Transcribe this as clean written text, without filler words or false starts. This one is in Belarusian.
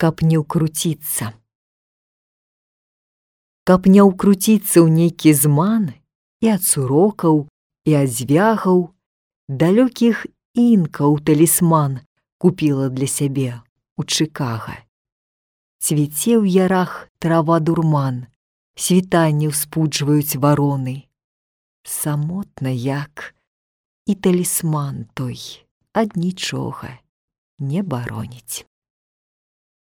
каб не ўкруціцца. Каб не ўкруціцца ў нейкі зман і ад сурокаў, і ад звягаў, далёкіх інкаў талісман купіла для сябе у Чыкага. Цвіце ў ярах трава дурман, світанне ўспуджваюць вароны. Самотна як, і талісман той ад нічога не бароніць.